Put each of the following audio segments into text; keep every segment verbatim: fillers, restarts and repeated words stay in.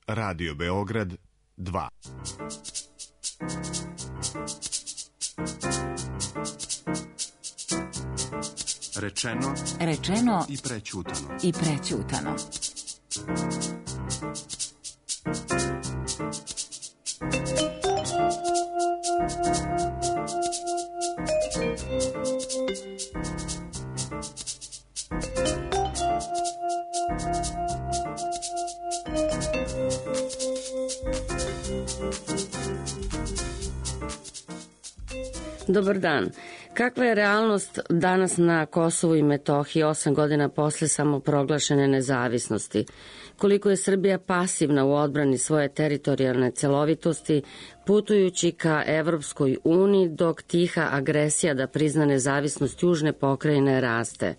Radio Beograd dva. Rečeno, rečeno i prećutano. I prećutano. Dobar dan. Kakva je realnost danas na Kosovu i Metohiji osam godina posle samoproglašene nezavisnosti? Koliko je Srbija pasivna u odbrani svoje teritorijalne celovitosti, putujući ka Evropskoj uniji, dok tiha agresija da prizna nezavisnost južne pokrajine raste?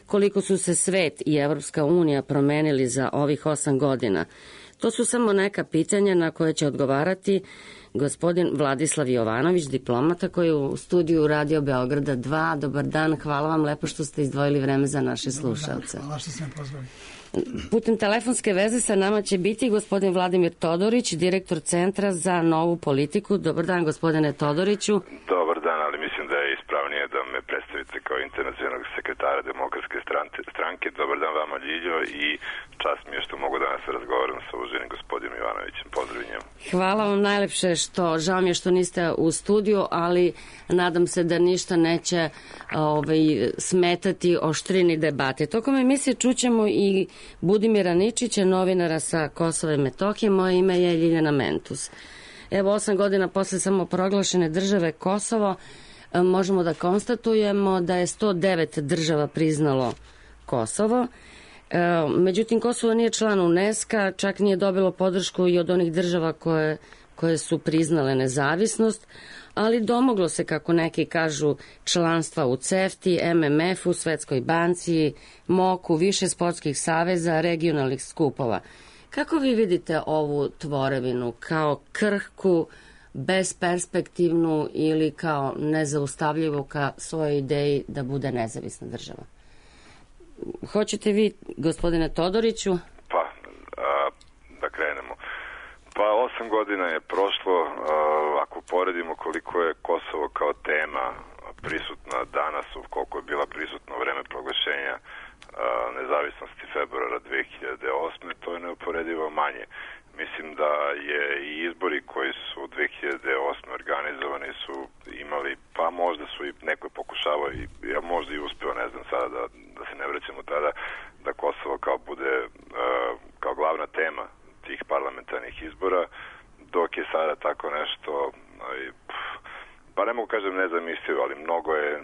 Koliko su se svet i Evropska unija promenili za ovih osam godina? To su samo neka pitanja na koje će odgovarati gospodin Vladislav Jovanović, diplomata koji je u studiju Radio Beograda dva. Dobar dan, hvala vam lepo što ste izdvojili vreme za naše slušalce. Hvala što ste me pozvali. Putem telefonske veze sa nama će biti gospodin Vladimir Todorić, direktor Centra za novu politiku. Dobar dan, gospodine Todoriću. Dobar dan, ali mislim da je ispravnije da me predstavite kao internacionalnog sekretara Demokratske stranke. Dobar dan vama, Ljiljo, i čast mi je što mogu danas razgovaram sa uvaženim gospodinom Jovanovićem. Pozdrav njemu. Hvala vam najlepše, što žao mi je što niste u studiju, ali nadam se da ništa neće ovaj, smetati oštrini debate. Tokom emisije čućemo i Budimira Ničića, novinara sa Kosova i Metohije. Moje ime je Ljiljana Mentus. Evo, osam godina posle samoproglašene države Kosovo možemo da konstatujemo da je sto devet država priznalo Kosovo. Međutim, Kosovo nije član UNESCO, čak nije dobilo podršku i od onih država koje, koje su priznale nezavisnost, ali domoglo se, kako neki kažu, članstva u CEFTI, M M F-u, Svetskoj banci, MOK-u, više sportskih saveza, regionalnih skupova. Kako vi vidite ovu tvorevinu? Kao krhku, besperspektivnu ili kao nezaustavljivu ka svojoj ideji da bude nezavisna država? Hoćete vi, gospodine Todoriću? Pa, a, da krenemo. Pa, osam godina je prošlo. A, ako poredimo koliko je Kosovo kao tema prisutna danas, koliko je bila prisutna u vreme proglašenja a, nezavisnosti februara dve hiljade osme, to je neuporedivo manje. Mislim da je i izbori koji su dve hiljade osme organizovani su imali, pa možda su i neko pokušavao, i ja možda i uspeo, ne znam sada da, da se ne vraćamo tada, da Kosovo kao bude uh, kao glavna tema tih parlamentarnih izbora, dok je sada tako nešto, uh, pa ne mogu kažem nezamislivo, ali mnogo je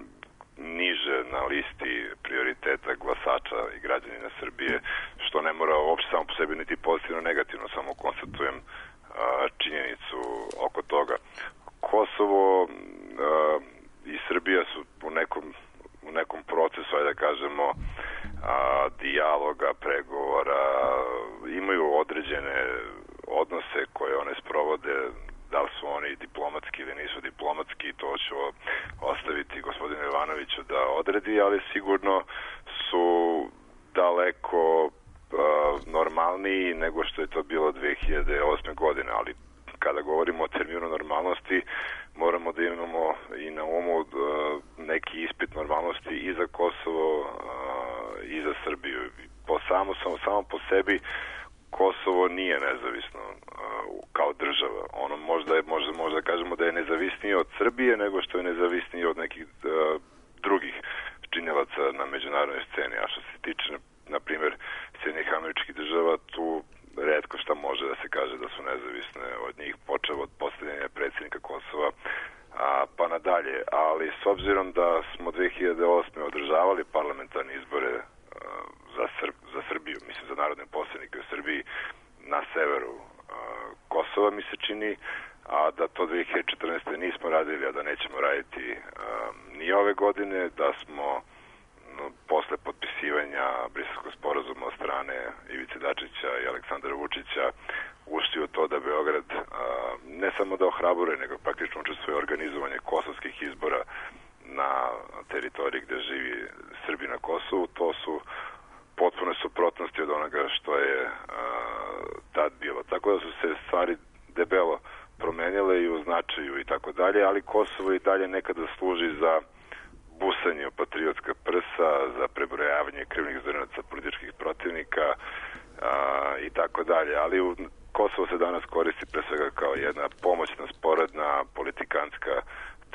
niže na listi prioriteta glasača i građanina Srbije, što ne mora uopšte samo po sebi niti pozitivno, negativno, samo konstatujem a, činjenicu oko toga. Kosovo a, i Srbija su u nekom, u nekom procesu, ajde da kažemo, a, dijaloga, pregovora, imaju određene odnose koje one sprovode. Da li su oni diplomatski ili nisu diplomatski, to ću ostaviti gospodinu Jovanoviću da odredi, ali sigurno su daleko uh, normalniji nego što je to bilo dve hiljade osme godine, ali kada govorimo o terminu normalnosti, moramo da imamo i na umu uh, neki ispit normalnosti i za Kosovo uh, i za Srbiju. Po samo, samo, samo po sebi Kosovo nije nezavisno uh, kao država. Ono možda je, možda, možda kažemo da je nezavisnije od Srbije nego što je nezavisnije od nekih uh, drugih činilaca na međunarodnoj sceni. A što se tiče, na, na primjer, Sjedinjenih Američkih Država, tu retko šta može da se kaže da su nezavisne od njih, počev od postavljanja predsjednika Kosova a, pa nadalje. Ali s obzirom da smo dve hiljade osme održavali parlamentarne izbore uh, za, Srb, za Srbiju, mislim za narodne poslanike u Srbiji na severu uh, Kosova, mi se čini, a da to dve hiljade četrnaeste nismo radili, a da nećemo raditi uh, ni ove godine, da smo no, posle potpisivanja Briselskog sporazuma od strane Ivice Dačića i Aleksandra Vučića ušli u to da Beograd uh, ne samo da ohrabruje, nego praktično učestvuje organizovanje kosovskih izbora na teritoriji gde živi Srbi na Kosovu. To su potpuno suprotnosti od onoga što je uh, tad bilo. Tako tako da su se stvari debelo promenile i u značaju i tako dalje, ali Kosovo i dalje nekada služi za busanje u patriotska prsa, za prebrojavanje krivnih zrnaca političkih protivnika a, i tako dalje. Ali u, Kosovo se danas koristi pre svega kao jedna pomoćna, sporedna, politikantska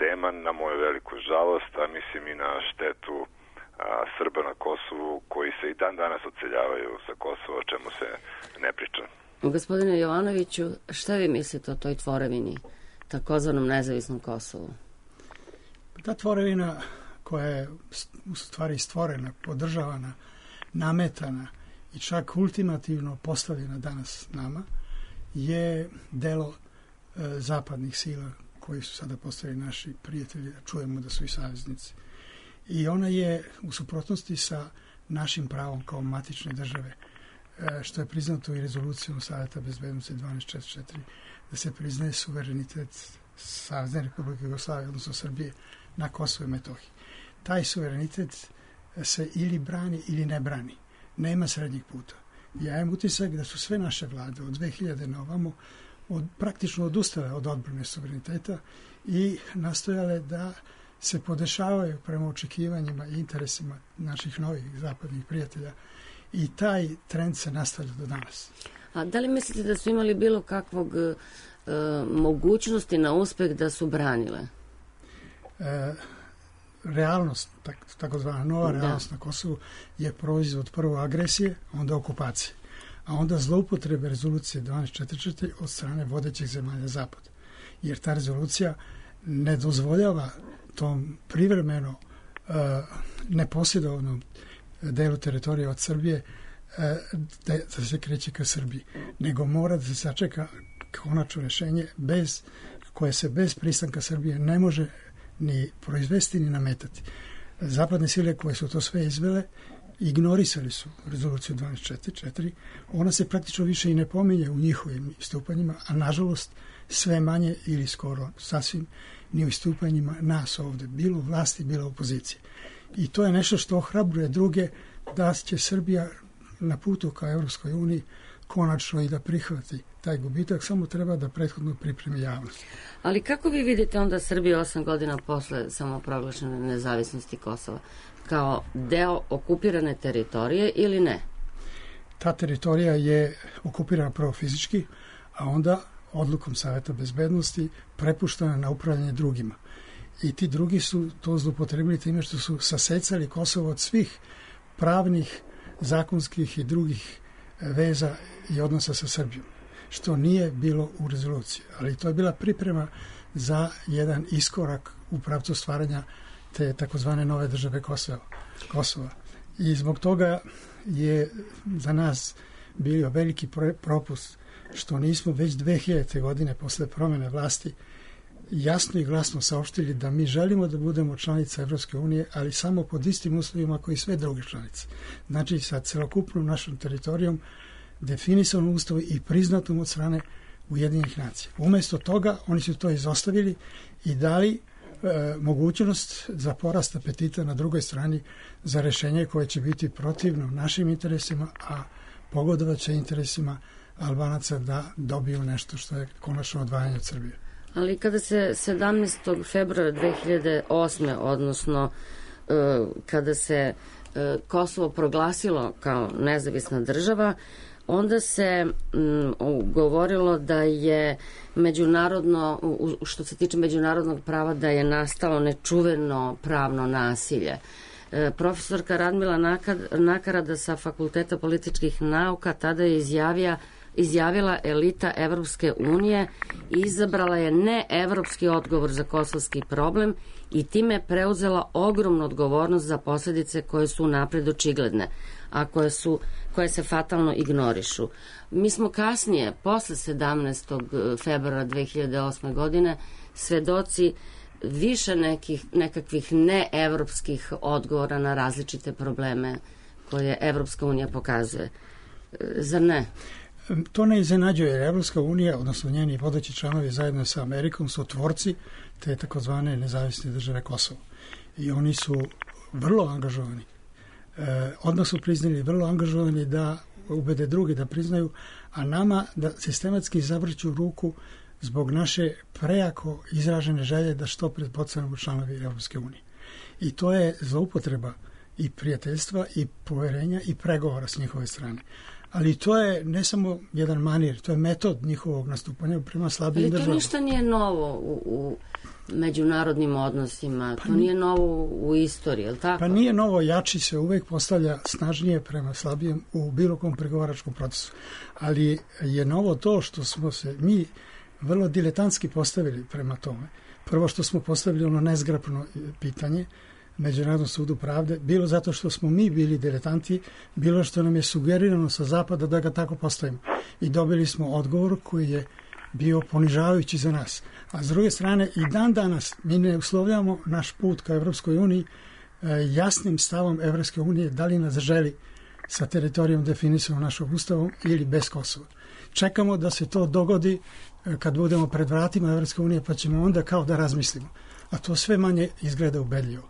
tema, na moju veliku žalost, a mislim i na štetu a, Srba na Kosovu, koji se i dan danas odseljavaju sa Kosova, o čemu se ne priča. Gospodine Jovanoviću, šta vi mislite o toj tvorevini, takozvanom nezavisnom Kosovu? Ta tvorevina koja je u stvari stvorena, podržavana, nametana i čak ultimativno postavljena danas nama, je delo e, zapadnih sila koji su sada postali naši prijatelji, čujemo da su i saveznici. I ona je u suprotnosti sa našim pravom kao matične države, e, što je priznato i rezolucijom Saveta bezbednosti dvanaest četrdeset četiri, da se priznaje suverenitet Savezne Republike Jugoslavije, odnosno Srbije, na Kosovo i Metohiji. Taj suverenitet se ili brani ili ne brani. Nema srednjeg puta. Ja imam utisak da su sve naše vlade od dve hiljade na ovamo od, praktično odustale od odbrane suvereniteta i nastojale da se podešavaju prema očekivanjima i interesima naših novih zapadnih prijatelja i taj trend se nastavlja do danas. A da li mislite da su imali bilo kakvog e, mogućnosti na uspeh da su branile? E, realnost, tak, takozvana nova realnost da. Na Kosovu je proizvod prvo agresije, onda okupacije, a onda zloupotrebe rezolucije dvanaest četrdeset četiri od strane vodećih zemalja Zapada. Jer ta rezolucija ne dozvoljava tom privremeno uh, neposjedovnom delu teritorije od Srbije uh, da, da se kreće ka Srbiji, nego mora da se sačeka konačno rešenje bez, koje se bez pristanka Srbije ne može ni proizvesti ni nametati. Zapadne sile koje su to sve izvele ignorisali su rezoluciju dvanaest četrdeset četiri, ona se praktično više i ne pominje u njihovim istupanjima, a nažalost sve manje ili skoro sasvim ni u istupanjima nas ovde, bilo vlasti, bilo opozicije. I to je nešto što ohrabruje druge da će Srbija na putu ka Evropskoj uniji konačno i da prihvati taj gubitak, samo treba da prethodno pripremi javnost. Ali kako vi vidite onda Srbiju osam godina posle samoproglašene nezavisnosti Kosova? Kao deo okupirane teritorije ili ne? Ta teritorija je okupirana prvo fizički, a onda odlukom Saveta bezbednosti prepuštena na upravljanje drugima. I ti drugi su to zloupotrebili time što su sasecali Kosovo od svih pravnih, zakonskih i drugih veza i odnosa sa Srbijom, što nije bilo u rezoluciji. Ali to je bila priprema za jedan iskorak u pravcu stvaranja te takozvane nove države Kosova. Kosova. I zbog toga je za nas bio veliki propust što nismo već dve hiljadite godine posle promene vlasti jasno i glasno saopštili da mi želimo da budemo članica Evropske unije, ali samo pod istim uslovima koji sve druge članice. Znači sa celokupnom našom teritorijom definisanom u Ustavu i priznatom od strane Ujedinjenih nacija. Umesto toga oni su to izostavili i dali e, mogućnost za porast apetita na drugoj strani za rešenje koje će biti protivno našim interesima, a pogodovat će interesima Albanaca da dobiju nešto što je konačno odvajanje od Srbije. Ali kada se sedamnaestog februara dve hiljade osme, odnosno e, kada se e, Kosovo proglasilo kao nezavisna država, onda se m, govorilo da je međunarodno, u, što se tiče međunarodnog prava, da je nastalo nečuveno pravno nasilje. E, profesorka Radmila Nakarada sa Fakulteta političkih nauka tada je izjavija izjavila elita Evropske unije i izabrala je neevropski odgovor za kosovski problem i time preuzela ogromnu odgovornost za posljedice koje su napred očigledne, a koje, su, koje se fatalno ignorišu. Mi smo kasnije, posle sedamnaestog februara dve hiljade osme. godine, svedoci više nekih, nekakvih neevropskih odgovora na različite probleme koje Evropska unija pokazuje. Zar ne? To ne iznenađuje, jer Evropska unija, odnosno njeni vodeći članovi zajedno sa Amerikom, su tvorci te takozvane nezavisne države Kosovo. I oni su vrlo angažovani. E, odmah su priznali vrlo angažovani da ubede drugi da priznaju, a nama da sistematski zavrću ruku zbog naše prejako izražene želje da što pred postanemo članovi Europske unije. I to je zloupotreba i prijateljstva i poverenja i pregovora s njihove strane. Ali to je ne samo jedan manir, to je metod njihovog nastupanja prema slabijim državama. Ali to ništa nije novo u, u međunarodnim odnosima, pa to nije novo u istoriji, je li tako? Pa nije novo, jači se uvek postavlja snažnije prema slabijem u bilo kom pregovaračkom procesu. Ali je novo to što smo se mi vrlo diletantski postavili prema tome. Prvo što smo postavili ono nezgrapno pitanje Međunarodnom sudu pravde, bilo zato što smo mi bili diletanti, bilo što nam je sugerirano sa zapada da ga tako postavimo. I dobili smo odgovor koji je bio ponižavajući za nas. A s druge strane, i dan danas mi ne uslovljamo naš put ka Evropskoj uniji jasnim stavom Evropske unije da li nas želi sa teritorijom definisanom našom ustavom ili bez Kosova. Čekamo da se to dogodi kad budemo pred vratima Evropske unije, pa ćemo onda kao da razmislimo. A to sve manje izgleda ubedljivo.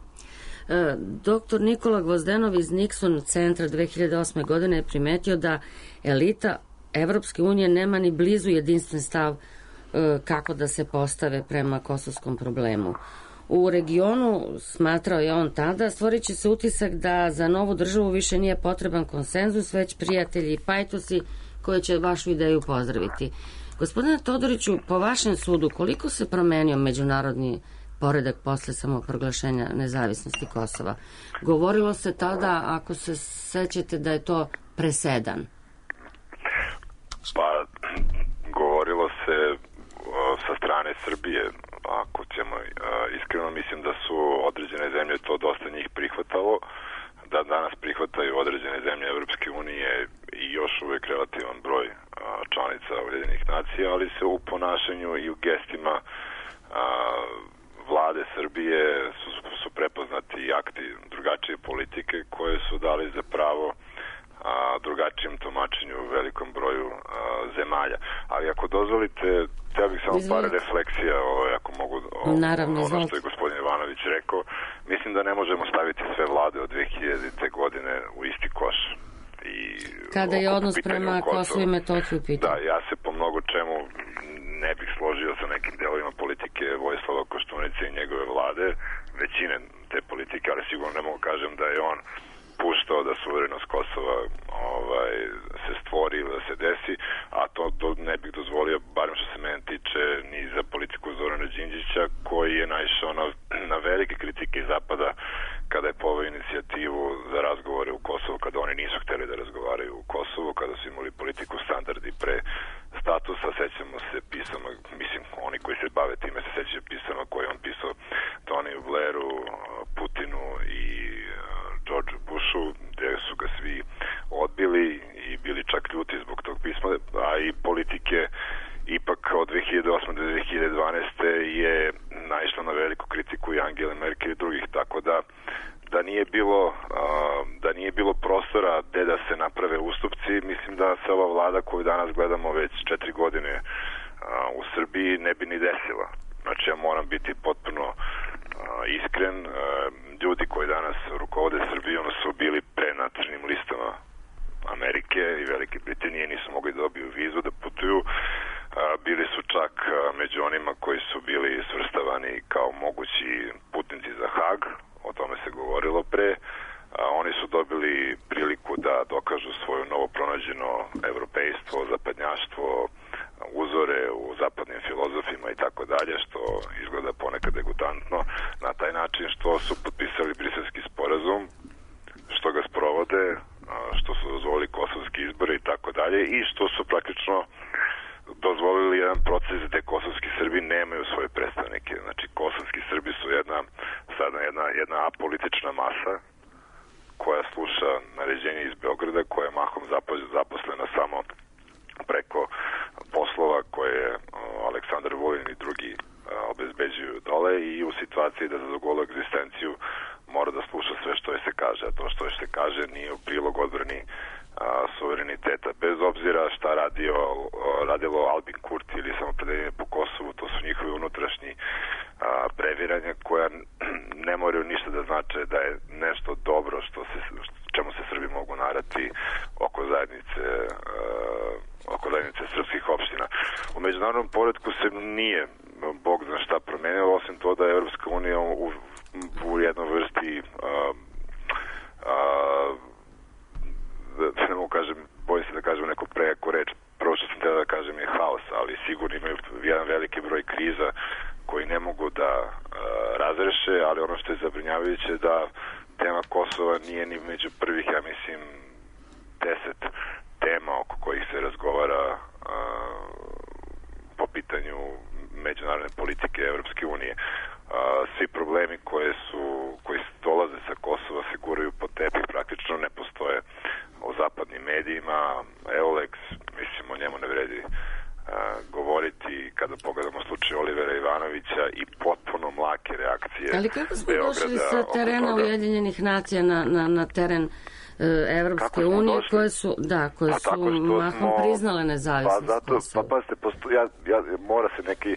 Doktor Nikola Gvozdenov iz Nixon centra dve hiljade osme. godine je primetio da elita Evropske unije nema ni blizu jedinstven stav kako da se postave prema kosovskom problemu. U regionu, smatrao je on tada, stvorit će se utisak da za novu državu više nije potreban konsenzus, već prijatelji i pajtosi koji će vašu ideju pozdraviti. Gospodine Todoriću, po vašem sudu, koliko se promenio međunarodni poredak posle samoproglašenja nezavisnosti Kosova? Govorilo se tada, ako se sećate, da je to presedan. Pa, govorilo se sa strane Srbije, ako ćemo iskreno, mislim da su određene zemlje to dosta njih prihvatalo, da danas prihvataju određene zemlje Evropske unije i još uvek relativan broj članica Ujedinjenih nacija, ali se u ponašanju i u gestima vlade Srbije su, su prepoznati i akti drugačije politike koje su dali za pravo a, drugačijem tumačenju u velikom broju a, zemalja. Ali ako dozvolite, ja bih samo par refleksija, o, ako mogu, o, Naravno, ono što je gospodin Ivanović rekao. Mislim da ne možemo staviti sve vlade od dve hiljadite. godine u isti koš. I kada je odnos prema Kosovu i Metohiji u pitanju. Da, ja se po mnogo čemu ne bih složio sa nekim delovima politike Vojislava Koštunice i njegove vlade, većine te politike, ali sigurno ne mogu kažem da je on puštao da suverenost Kosova ovaj, se stvori ili da se desi, a to, to ne bih dozvolio, barem što se mene tiče, ni za politiku Zorana Đinđića, koji je naišao na, na velike kritike iz Zapada kada je poveo inicijativu za razgovore u Kosovu, kada oni nisu hteli da razgovaraju u Kosovu, kada su imali politiku standardi pre statusa. Sećamo se pisama, mislim, oni koji se bave time se sećaju pisama koje on pisao Toniju Blairu, Putinu i George Bushu, gde su ga svi odbili i bili čak ljuti zbog tog pisma, a i politike ipak od dve hiljade osme do dve hiljade dvanaeste. je naišla na veliku kritiku i Angele Merkel i drugih, tako da da nije bilo da nije bilo prostora gde da se naprave ustupci. Mislim da se ova vlada koju danas gledamo već četiri godine u Srbiji ne bi ni desila. Znači, ja moram biti potpuno iskren. Ljudi koji danas rukovode Srbijom su bili pre na crnim listama Amerike i Velike Britanije, nisu mogli da dobiju vizu da putuju. Bili su čak među onima koji su bili svrstavani kao mogući putnici za Hag, o tome se govorilo pre. Oni su dobili priliku da dokažu svoje novo pronađeno evropejstvo, zapadnjaštvo, uzore u zapadnim filozofima i tako dalje, što izgleda ponekad degutantno, na taj način što su potpisali Briselski sporazum, što ga sprovode, što su dozvolili kosovski izbore i tako dalje, i što su praktično dozvolili jedan proces gde kosovski Srbi nemaju svoje predstavnike. Znači, kosovski Srbi su jedna, sada jedna, jedna apolitična masa koja sluša naređenje iz Beograda, koja je mahom zaposlena samo preko poslova koje Aleksandar Vulin i drugi obezbeđuju dole, i u situaciji da za golu egzistenciju mora da sluša sve što je se kaže, a to što je se kaže nije u prilog odbrani a, suvereniteta. Bez obzira šta radio, radilo Albin Kurti ili samopredeljenje po Kosovu, to su njihovi unutrašnji a, previranja koja ne moraju ništa da znače da je nešto dobro što se, čemu se Srbi mogu narati oko zajednice a, oko zajednice srpskih opština. U međunarodnom poretku se nije Bog zna šta promenilo, osim to da je Evropska unija u, u jednoj vrsti a, a, da ne mogu kažem, bojim se da kažem neku prejako reč, prvo što sam htio da kažem je haos, ali sigurno imaju jedan veliki broj kriza koji ne mogu da a, razreše, ali ono što je zabrinjavajuće da tema Kosova nije ni među prvih, ja mislim, deset tema oko kojih se razgovara a, po pitanju međunarodne politike Evropske unije. A, svi problemi koje su, koji dolaze sa Kosova se guraju po tepih, praktično ne postoje u zapadnim medijima. Euleks, mislim, o njemu ne vredi a, govoriti. Kada pogledamo slučaj Olivera Ivanovića i potpuno mlake reakcije. Ali kako smo Beograda došli sa terena Ujedinjenih nacija na, na, na teren Evropske unije, došli? koje su, da, koje pa su mahom smo, priznale nezavisnost. Pa zato, pa pazite, posto, ja, ja, mora se neki,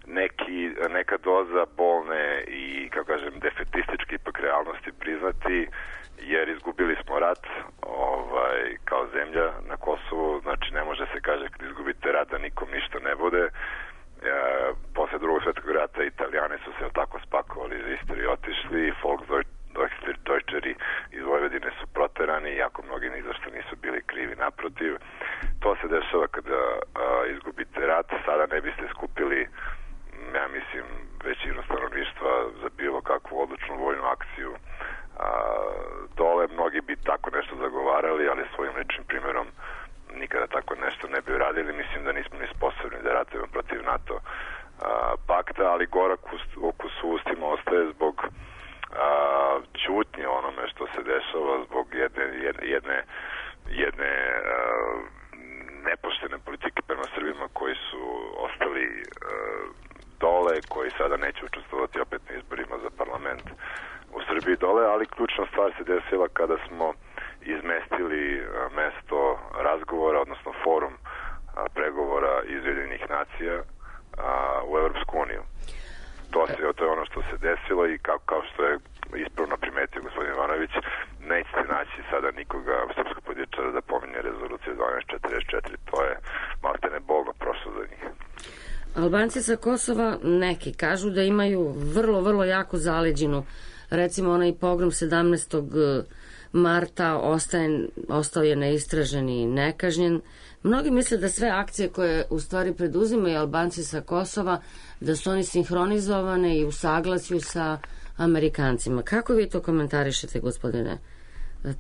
neki, neka doza bolne i, kako kažem, defetističke ipak realnosti priznati, jer izgubili smo rat ovaj, kao zemlja na Kosovu, znači ne može se kaže kad izgubite rat da nikom ništa ne bude. E, posle drugog svetskog rata Italijani su se tako spakovali iz istorije, otišli, Volksdeutscheri iz Vojvodine su proterani, iako mnogi ni zašto nisu bili krivi, naprotiv. To se dešava kada a, izgubite rat, sada ne biste skupili, ja mislim, većinu stanovništva za bilo kakvu odlučnu vojnu akciju. A, dole mnogi bi tako nešto zagovarali, ali svojim ličnim primjerom nikada tako nešto ne bi uradili. Mislim da nismo ni sposobni da ratujemo protiv NATO a, pakta, ali gorak okus u ustima ostaje zbog a, ćutnje onome što se dešava, zbog jedne, jedne, jedne, jedne a, nepoštene politike prema Srbima koji su ostali a, dole, koji sada neće učestvovati opet na izborima za parlament u Srbiji dole, ali ključna stvar se desila kada smo izmestili mesto razgovora, odnosno forum pregovora iz Ujedinjenih nacija u Evropsku uniju. To, se, to je ono što se desilo i kao, kao što je ispravno primetio gospodin Ivanović, nećete naći sada nikoga srpskog političara da pominje rezoluciju dvanaest četrdeset četiri, to je maltene bolno prošlo za njih. Albanci sa Kosova neki kažu da imaju vrlo, vrlo jako zaleđinu. Recimo onaj pogrom sedamnaestog marta ostaje, ostao je neistražen i nekažnjen. Mnogi misle da sve akcije koje u stvari preduzimaju Albanci sa Kosova, da su oni sinhronizovane i u saglasju sa Amerikancima. Kako vi to komentarišete, gospodine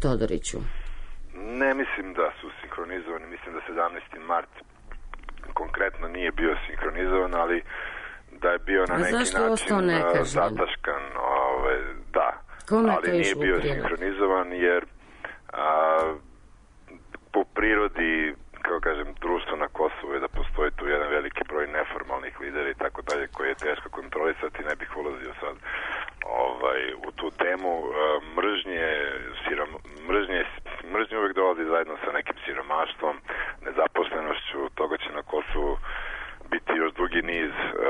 Todoriću? Ne mislim da su sinhronizovani. Mislim da sedamnaesti mart konkretno nije bio sinhronizovan, ali da je bio na neki način zataškan. Ove, da, Kome ali nije bio sinhronizovan jer a, po prirodi, kako kažem, društvo na Kosovu je da postoji tu jedan veliki broj neformalnih lidera i tako dalje koje je teško kontrolisati, ne bih ulazio sad ovaj, u tu temu. Mržnje, sirom, mržnje, mržnje uvijek dolazi zajedno sa nekim siromaštvom, nezaposlenošću, toga će na Kosovu biti još dugi niz uh,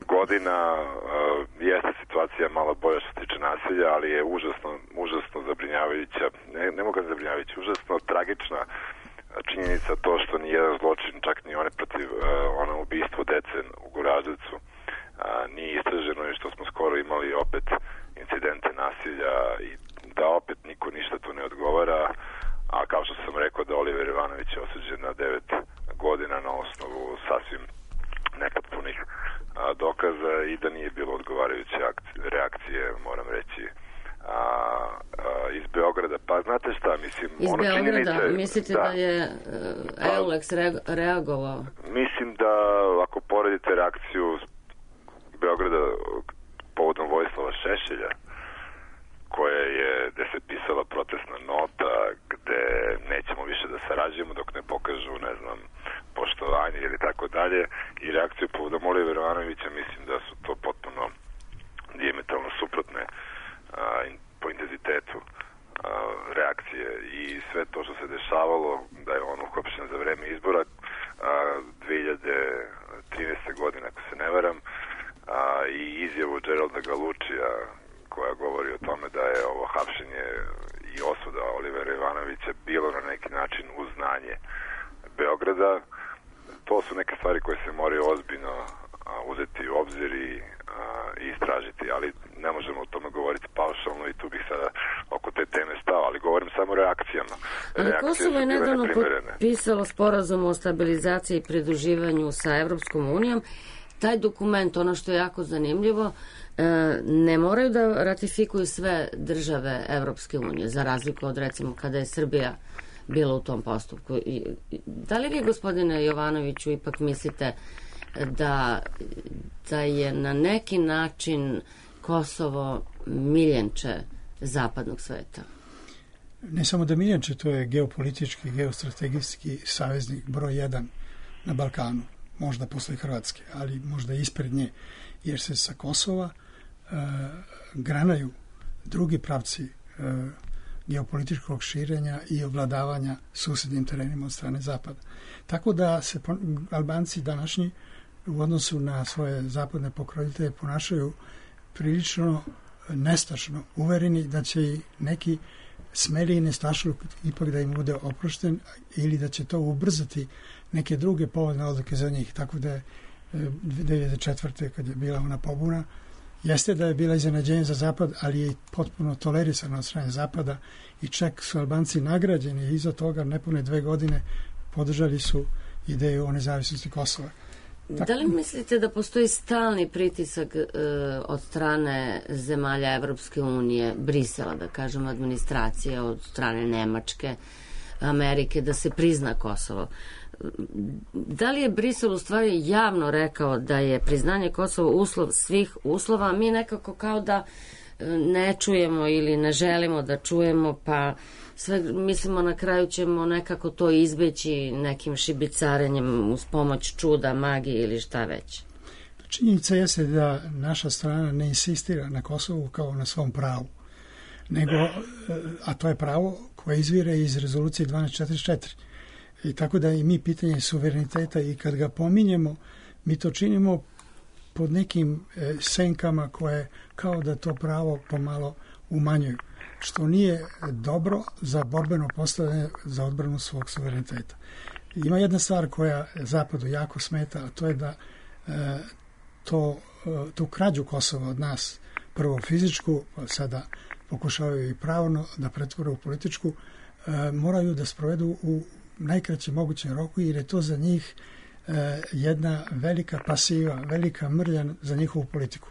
godina. Uh, jeste situacija malo bolja što se tiče nasilja, ali je užasno, užasno zabrinjavajuća, ne, ne mogu zabrinjavajuća, užasno tragična činjenica to što ni jedan zločin, čak ni one protiv uh, ono ubistvo dece u Goraždevcu uh, nije istraženo i što smo skoro imali opet incidente nasilja i da opet niko ništa tu ne odgovara, a kao što sam rekao da Oliver Ivanović je osuđen na devet godina na osnovu sasvim nepotpunih a, dokaza i da nije bilo odgovarajuće reakcije, moram reći, a, a, iz Beograda. Pa znate šta, mislim... Iz ono Beograda, činjenice, mislite da, da je uh, Euleks re, reagovao? Mislim da ako poredite reakciju Beograda povodom Vojislava Šešelja, koja je, gde se pisala protestna nota, gde nećemo više da sarađujemo dok ne pokažu, ne znam, poštovanje ili tako dalje, i reakciju povodom Olivera Ivanovića, mislim da su to potpuno dijametralno suprotne a, in, po intenzitetu a, reakcije i sve to što se dešavalo, da je on uhopšen za vreme izbora a, dve hiljade trinaeste. godine, ako se ne varam, a, i izjavu Geralda Galučija koja govori o tome da je ovo hapšenje i osuda Olivera Ivanovića bilo na neki način uznanje Beograda Beograda, to su neke stvari koje se moraju ozbiljno uzeti u obzir i, i istražiti, ali ne možemo o tome govoriti paušalno i tu bih sada oko te teme stao, ali govorim samo o reakcijama. Ali Kosovo je nedavno potpisalo sporazum o stabilizaciji i pridruživanju sa Evropskom unijom. Taj dokument, ono što je jako zanimljivo, ne moraju da ratifikuju sve države Evropske unije, za razliku od, recimo, kada je Srbija bila u tom postupku. Da li vi, gospodine Jovanoviću, ipak mislite da, da je na neki način Kosovo miljenče zapadnog sveta? Ne samo da miljenče, to je geopolitički, geostrategijski saveznik broj jedan na Balkanu, možda posle Hrvatske, ali možda ispred nje, jer se sa Kosova e, granaju drugi pravci e, geopolitičkog širenja i ovladavanja susednim terenima od strane Zapada. Tako da se Albanci današnji u odnosu na svoje zapadne pokrovitelje ponašaju prilično nestašno, uvereni da će i neki smeli i nestašluk ipak da im bude oprošten ili da će to ubrzati neke druge povodne odluke za njih. Tako da je dve hiljade četvrte kad je bila ona pobuna, jeste da je bila iznenađenje za Zapad, ali je potpuno tolerisana od strane Zapada i čak su Albanci nagrađeni i iza toga nepune dve godine podržali su ideju o nezavisnosti Kosova. Tako. Da li mislite da postoji stalni pritisak e, od strane zemalja Evropske unije, Brisela, da kažem, administracije, od strane Nemačke, Amerike, da se prizna Kosovo? Da li je Brisel u stvari javno rekao da je priznanje Kosova uslov svih uslova, a mi nekako kao da ne čujemo ili ne želimo da čujemo, pa sve mislimo na kraju ćemo nekako to izbeći nekim šibicarenjem uz pomoć čuda, magije ili šta već? Činjenica jeste da naša strana ne insistira na Kosovu kao na svom pravu, nego, a to je pravo koje izvire iz rezolucije dvanaest četrdeset četiri. I tako da i mi pitanje suvereniteta i kad ga pominjemo, mi to činimo pod nekim e, senkama koje kao da to pravo pomalo umanjuju, što nije dobro za borbeno postavljanje za odbranu svog suvereniteta. Ima jedna stvar koja Zapadu jako smeta, a to je da e, to, e, tu krađu Kosova od nas, prvo fizičku, pa sada pokušavaju i pravno da pretvore u političku, e, moraju da sprovedu u najkraćem mogućem roku, jer je to za njih e, jedna velika pasiva, velika mrlja za njihovu politiku.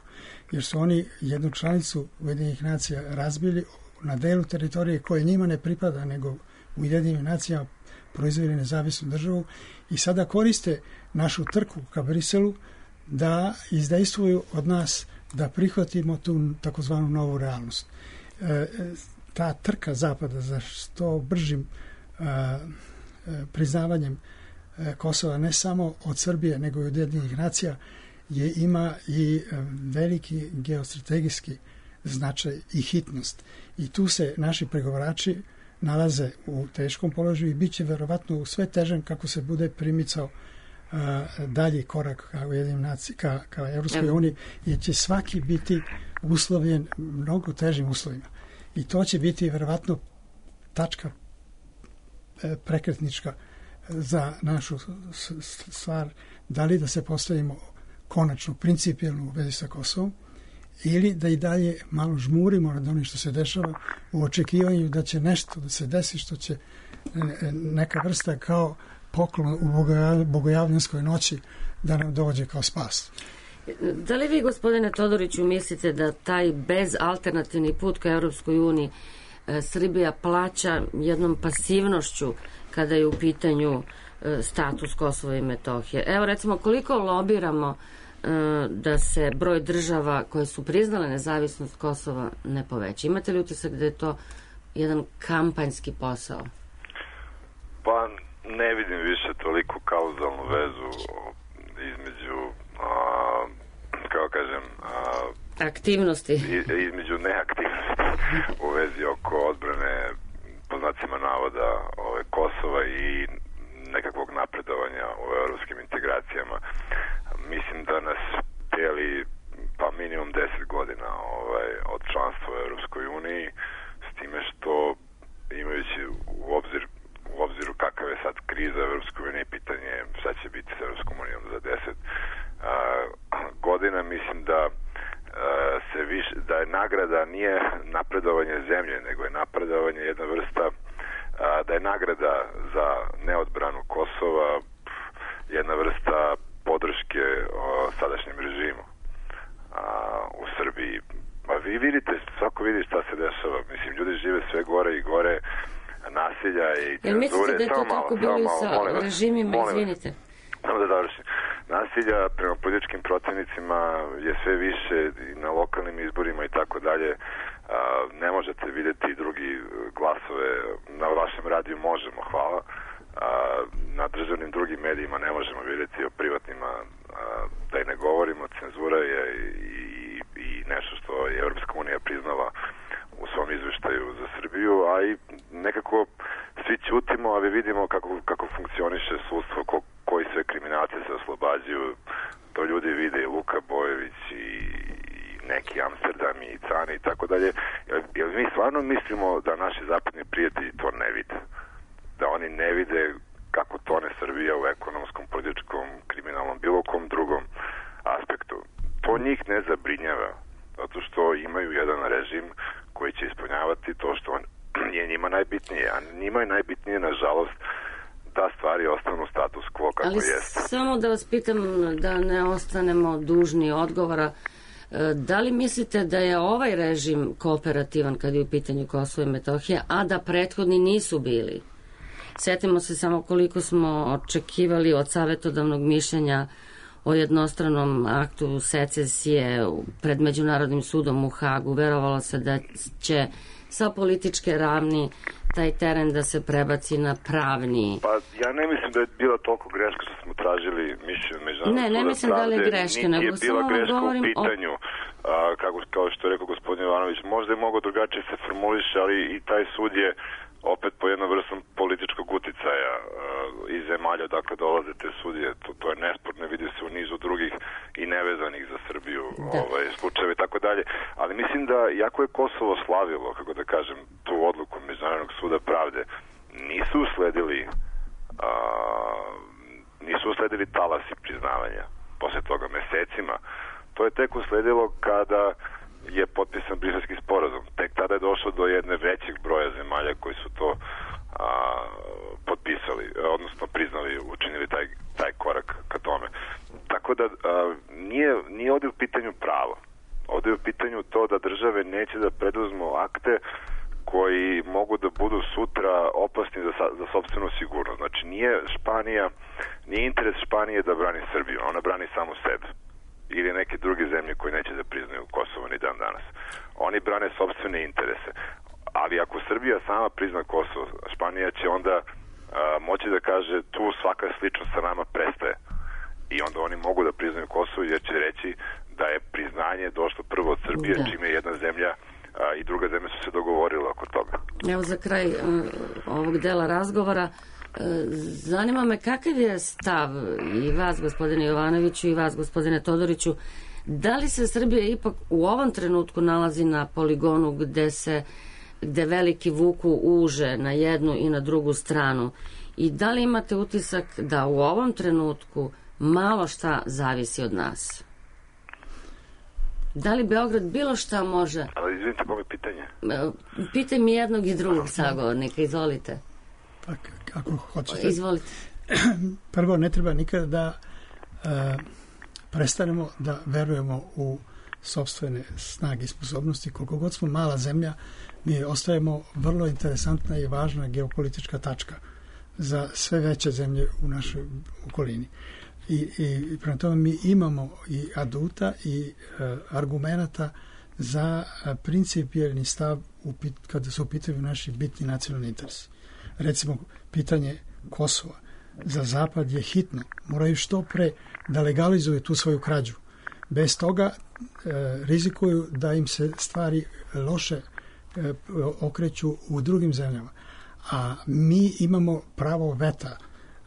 Jer su oni jednu članicu Ujedinjenih nacija razbili na delu teritorije koje njima ne pripada, nego Ujedinjenim nacijama proizveli nezavisnu državu i sada koriste našu trku ka Briselu da izdejstvuju od nas da prihvatimo tu takozvanu novu realnost. E, ta trka Zapada za što bržim a, priznavanjem Kosova ne samo od Srbije nego i od Ujedinjenih nacija je ima i veliki geostrategijski značaj i hitnost. I tu se naši pregovarači nalaze u teškom položaju i bit će verovatno u sve težem kako se bude primicao a, dalji korak ka Ujedinjenim nacijama, ka, ka Evropskoj uniji, jer će svaki biti uslovljen mnogo težim uslovima. I to će biti verovatno tačka prekretnička za našu stvar, da li da se postavimo konačno principijelno u vezi sa Kosovom ili da i dalje malo žmurimo nad onim što se dešava u očekivanju da će nešto da se desi što će neka vrsta kao poklon u bogojavljanskoj noći da nam dođe kao spas. Da li vi, gospodine Todoriću, mislite da taj bezalternativni put ka Evropskoj uniji Srbija plaća jednom pasivnošću kada je u pitanju status Kosova i Metohije? Evo, recimo, koliko lobiramo da se broj država koje su priznale nezavisnost Kosova ne poveća? Imate li utisak da je to jedan kampanjski posao? Pa ne vidim više toliko kauzalnu vezu između, a, kako kažem, a, aktivnosti. Između neaktivnosti u vezi oko odbrane, po znacima navoda, ove, Kosova i nekakvog napredovanja u evropskim integracijama. Mislim da nas teli pa minimum deset godina ovaj, od članstva u Evropskoj uniji, s time što imajući u obzir u obziru kakav je sad kriza u Evropskoj uniji, godina mislim da uh, se više, da je nagrada nije napredovanje zemlje, nego je napredovanje jedna vrsta, uh, da je nagrada za neodbranu Kosova jedna vrsta podrške uh, sadašnjem režimu uh, u Srbiji. Pa vi vidite, svako vidi šta se dešava. Mislim, ljudi žive sve gore i gore, nasilja i cenzure. Jel mislite da je to tako bilo i sa režimima, izvinite? Samo da završim. Nasilja prema političkim protivnicima je sve više i na lokalnim izborima i tako dalje. Ne možete vidjeti drugi glasove. Na vašem radiju možemo, hvala. Na državnim drugim medijima ne možemo vidjeti, o privatnima da i ne govorimo. Cenzura je i, i nešto što je Evropska unija priznala u svom izveštaju za Srbiju, a i nekako svi ćutimo, ali vidimo kako, kako funkcioniše sudstvo, ko, koji sve kriminalci se oslobađaju. To ljudi vide i Luka Bojević i, i neki Amsterdam i Cani i tako dalje. Jer mi stvarno mislimo da naši zapadni prijatelji to ne vide. Da oni ne vide kako tone Srbija u ekonomskom, političkom, kriminalnom, bilo kom drugom aspektu. To njih ne zabrinjava, zato što imaju jedan režim koji će ispunjavati to što on, je njima najbitnije, a njima je najbitnije, nažalost, da stvari ostanu status quo kako Ali jeste. Samo da vas pitam, da ne ostanemo dužni odgovora, da li mislite da je ovaj režim kooperativan kad je u pitanju Kosovo i Metohija, a da prethodni nisu bili? Sjetimo se samo koliko smo očekivali od savjetodavnog mišljenja o jednostranom aktu secesije pred Međunarodnim sudom u Hagu. Verovalo se da će sa političke ravni taj teren da se prebaci na pravni. Pa ja ne mislim da je bila toliko greška što smo tražili mišljenje Međunarodnog suda. Ne, ne mislim da li je greška, nego samo vam govorim u pitanju, o... a, kako, kao što je rekao gospodin Jovanović, možda je mogo drugačije se formuliše, ali i taj sud je opet po jednom vrstom političkog uticaja uh, iz zemalja dakle dolaze te sudije, to, to je nesporno, vidi se u nizu drugih i nevezanih za Srbiju ovaj, slučajeve i tako dalje, ali mislim da jako je Kosovo slavilo, kako da kažem, tu odluku Međunarodnog suda pravde, nisu usledili uh, nisu usledili talasi priznavanja posle toga mesecima, to je tek usledilo kada je potpisan Briselski sporazum. Tek tada je došlo do jedne većeg broja zemalja koji su to a, potpisali, odnosno priznali, učinili taj, taj korak ka tome. Tako da a, nije, nije ovdje u pitanju pravo. Ovdje je u pitanju to da države neće da preduzmu akte koji mogu da budu sutra opasni za, za sopstvenu sigurnost. Znači nije Španija, nije interes Španije da brani Srbiju, ona brani samo sebe ili neke druge zemlje koje neće da priznaju Kosovo ni dan danas. Oni brane sopstvene interese. Ali ako Srbija sama prizna Kosovo, Španija će onda a, moći da kaže tu svaka sličnost sa nama prestaje. I onda oni mogu da priznaju Kosovo jer će reći da je priznanje došlo prvo od Srbije, da. Čime je jedna zemlja a, i druga zemlja su se dogovorile oko toga. Evo za kraj uh, ovog dela razgovora, zanima me kakav je stav i vas, gospodine Jovanoviću, i vas, gospodine Todoriću, da li se Srbija ipak u ovom trenutku nalazi na poligonu gde se gde veliki vuku uže na jednu i na drugu stranu i da li imate utisak da u ovom trenutku malo šta zavisi od nas? Da li Beograd bilo šta može? Ali izvinite, kome pitanje? Pitaj mi jednog i drugog sagovornika, izvolite. Pa, ako hoćete. Izvolite. Prvo, ne treba nikada da e, prestanemo da verujemo u sopstvene snage i sposobnosti. Koliko god smo mala zemlja, mi ostajemo vrlo interesantna i važna geopolitička tačka za sve veće zemlje u našoj okolini. I, i prema tome mi imamo i aduta i e, argumenata za principijelni stav u, kada su u pitanju naši bitni nacionalni interesi. Recimo, pitanje Kosova za Zapad je hitno. Moraju što pre da legalizuju tu svoju krađu. Bez toga e, rizikuju da im se stvari loše e, okreću u drugim zemljama. A mi imamo pravo veta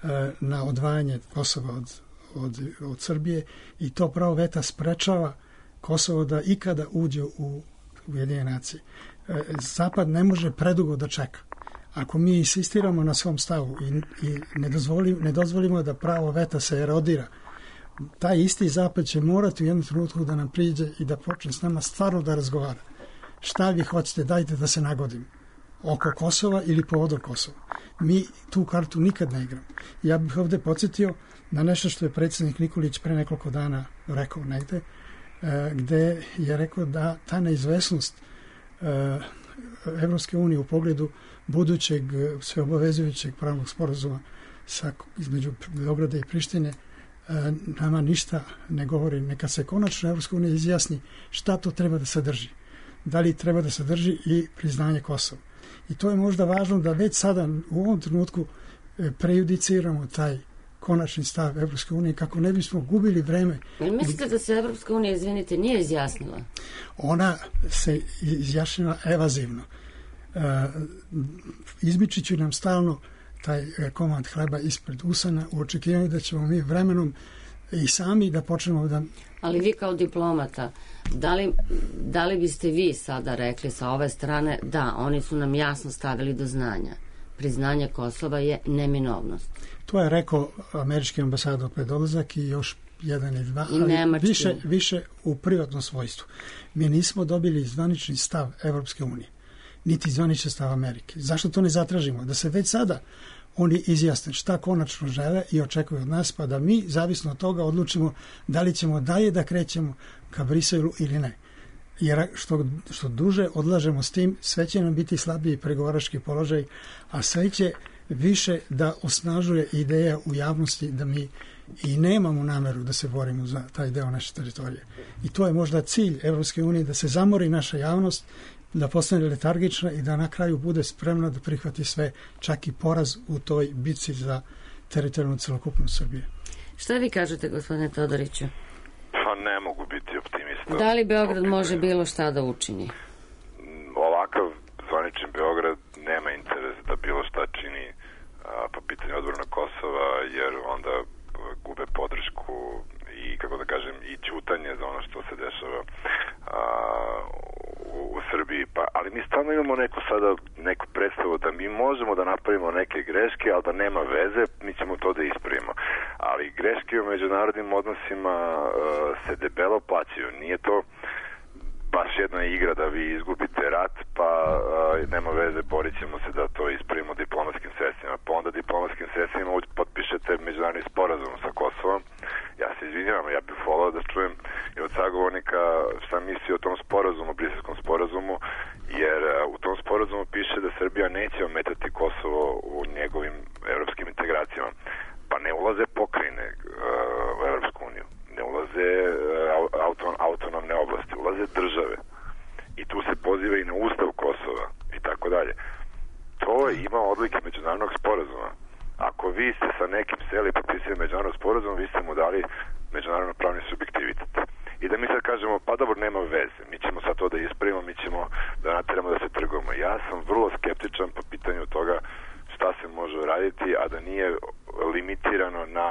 e, na odvajanje Kosova od, od, od Srbije i to pravo veta sprečava Kosovo da ikada uđe u Ujedinjene nacije. E, Zapad ne može predugo da čeka. Ako mi insistiramo na svom stavu i, i ne, dozvolimo, ne dozvolimo da pravo veta se erodira taj isti zapad će morati u jednom trenutku da nam priđe i da počne s nama stvarno da razgovara. Šta vi hoćete, dajte da se nagodim. Oko Kosova ili povodom Kosova. Mi tu kartu nikad ne igramo. Ja bih ovde podsjetio na nešto što je predsjednik Nikolić pre nekoliko dana rekao negde, gde je rekao da ta neizvesnost Evropske unije u pogledu budućeg sveobavezujućeg pravnog sporazuma sa, između Beograda i Prištine nama ništa ne govori. Neka se konačno Evropska unija izjasni šta to treba da sadrži. Da li treba da sadrži i priznanje Kosova. I to je možda važno da već sada u ovom trenutku prejudiciramo taj konačni stav Evropske unije kako ne bismo gubili vreme. Mislite da se Evropska unija, izvinite, nije izjasnila? Ona se izjašnjila evazivno. Izmičit će nam stalno taj komad hleba ispred usana u očekivanju da ćemo mi vremenom i sami da počnemo da... Ali vi kao diplomata, da li, da li biste vi sada rekli sa ove strane da, oni su nam jasno stavili do znanja. Priznanje Kosova je neminovnost. To je rekao američki ambasador pred odlazak i još jedan ili dva, I ali više, više u privatnom svojstvu. Mi nismo dobili zvanični stav Evropske unije, niti zvanični stav Amerike. Zašto to ne zatražimo? Da se već sada oni izjasne šta konačno žele i očekuju od nas, pa da mi, zavisno od toga, odlučimo da li ćemo dalje da krećemo ka Briselu ili ne. Jer što, što duže odlažemo s tim, sve će nam biti slabiji pregovarački položaj, a sve će više da osnažuje ideja u javnosti da mi i nemamo nameru da se borimo za taj deo naše teritorije. I to je možda cilj Evropske unije, da se zamori naša javnost, da postane letargična i da na kraju bude spremna da prihvati sve, čak i poraz u toj bitci za teritorijalnu celokupnost Srbije. Šta vi kažete, gospodine Todoriću? Pa ne mogu biti optimista. Da li Beograd može bilo šta da učini? Ovakav zvaničan Beograd nema interes da bilo šta čini a, po pitanju odbrane Kosova, jer onda gube podršku i, kako da kažem, i ćutanje za ono što se dešava a, u, u Srbiji. Pa, ali mi stalno imamo neku sada, neku predstavu da mi možemo da napravimo neke greške, ali da nema veze, mi ćemo to da ispravimo. Ali greške u međunarodnim odnosima a, se debelo plaćaju. Nije to baš jedna igra da vi izgubite rat, pa a, nema veze, borit ćemo se da to ispravimo diplomatskim sredstvima. Pa onda diplomatskim sredstvima potpišete međunarodni sporazum sa Kosovom. Ja se izvinjavam, ja bih volao da čujem i od sagovornika šta misli o tom sporazumu, briselskom sporazumu, jer a, u tom sporazumu piše da Srbija neće ometati Kosovo u njegovim evropskim integracijama. Pa ne ulaze pokrajine a, u Evropsku uniju, ne ulaze auton, autonomne oblasti, ulaze države. I tu se poziva i na ustav Kosova i tako dalje. To ima odlike međunarodnog sporazuma. Ako vi ste sa nekim seli potpisali međunarodnog sporazuma, vi ste mu dali međunarodno pravni subjektivitet. I da mi sad kažemo, pa dobro, nema veze, mi ćemo sad to da ispravimo, mi ćemo da nateramo da se trgujemo. Ja sam vrlo skeptičan po pitanju toga šta se može raditi, a da nije limitirano na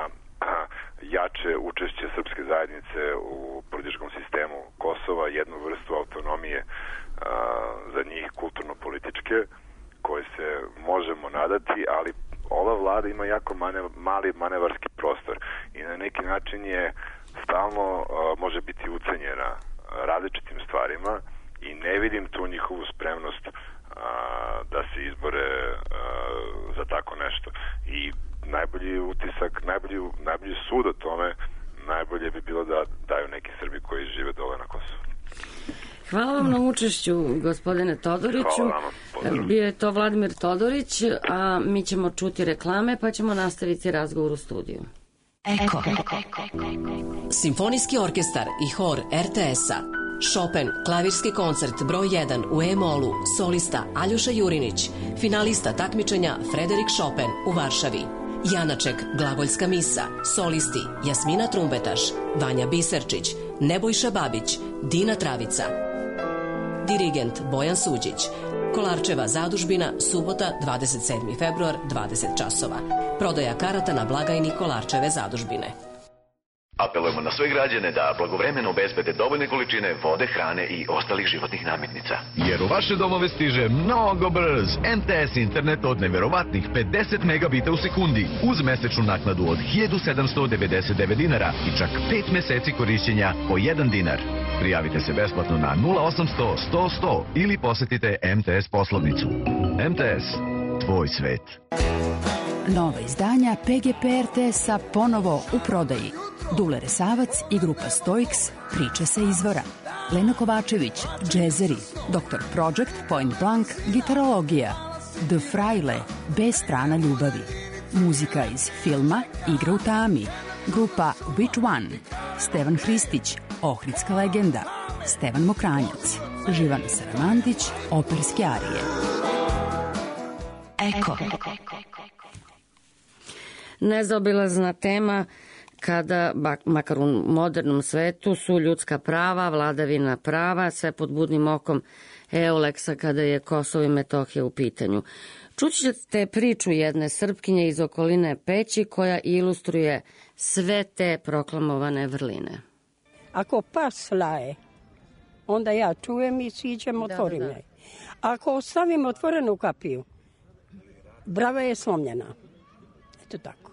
jače učešće srpske zajednice u političkom sistemu Kosova, jednu vrstu autonomije a, za njih kulturno-političke, koje se možemo nadati, ali ova vlada ima jako mane, mali manevarski prostor i na neki način je stalno a, može biti ucenjena različitim stvarima i ne vidim tu njihovu spremnost a, da se izbore a, za tako nešto. I najbolji utisak, najbolji, najbolji sud o tome, najbolje bi bilo da daju neki Srbi koji žive dole na Kosovu. Hvala vam na učešću, gospodine Todoriću. Bio je to Vladimir Todorić, a mi ćemo čuti reklame, pa ćemo nastaviti razgovor u studiju. Eko. Simfonijski orkestar i hor er te es-a. Chopin, klavirski koncert broj jedan u E-molu, solista Aljoša Jurinić, finalista takmičenja Frederik Chopin u Varšavi. Janaček, glagoljska misa, solisti Jasmina Trumbetaš, Vanja Biserčić, Nebojša Babić, Dina Travica. Dirigent Bojan Suđić. Kolarčeva zadužbina, subota, dvadeset sedmi februar, dvadeset časova. Prodaja karata na blagajni Kolarčeve zadužbine. Apelujemo na sve građane da blagovremeno obezbede dovoljne količine vode, hrane i ostalih životnih namirnica. Jer u vaše domove stiže mnogo brz M T S internet od neverovatnih pedeset megabita u sekundi uz mesečnu naknadu od hiljadu sedamsto devedeset devet dinara i čak pet meseci korišćenja po jedan dinar. Prijavite se besplatno na nula osamsto sto sto ili posetite M T S poslovnicu. M T S, tvoj svet. Nova izdanja P G P R T S-a ponovo u prodaji. Dule Resavac i grupa Stoiks, Priče sa izvora. Lena Kovačević, džezeri. doktor Project, Point Blank, gitarologija. The Fraile, B strana ljubavi. Muzika iz filma Igra u tami. Grupa Which One. Stevan Hristić, Ohridska legenda. Stevan Mokranjac. Živana Saramandić, operske arije. Eko. Nezaobilazna tema kada, makar u modernom svetu, su ljudska prava, vladavina prava, sve pod budnim okom Euleksa kada je Kosovo i Metohija u pitanju. Čućete priču jedne Srpkinje iz okoline Peći koja ilustruje sve te proklamovane vrline. Ako pas laje, onda ja čujem i siđem, otvorim da, da, da. je. Ako ostavim otvorenu kapiju, brava je slomljena. Eto tako.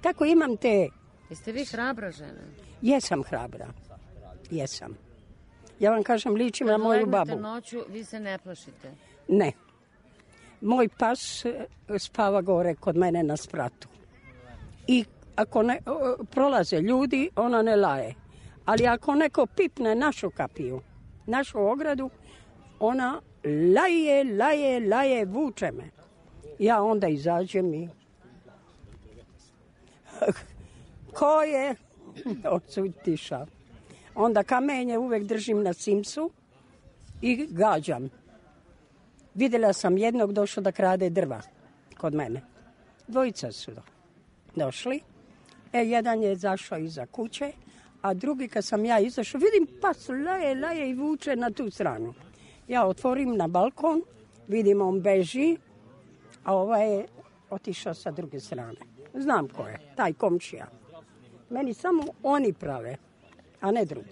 Tako imam te... Jeste vi hrabra žena? Jesam hrabra. Jesam. Ja vam kažem, ličim na moju babu. Kad legnete noću, vi se ne plašite? Ne. Moj pas spava gore kod mene na spratu. I ako ne, prolaze ljudi, ona ne laje. Ali ako neko pipne našu kapiju, našu ogradu, ona laje, laje, laje, vuče me. Ja onda izađem i... Ko je? Odsud tiša. Onda kamenje uvek držim na simsu i gađam. Vidjela sam jednog došao da krade drva kod mene. Dvojica su došli. E, jedan je zašao iza kuće, a drugi kad sam ja izašao, vidim pas laje, laje i vuče na tu stranu. Ja otvorim na balkon, vidim on beži, a ovaj je otišao sa druge strane. Znam ko je, taj komšija. Meni samo oni prave, a ne drugi.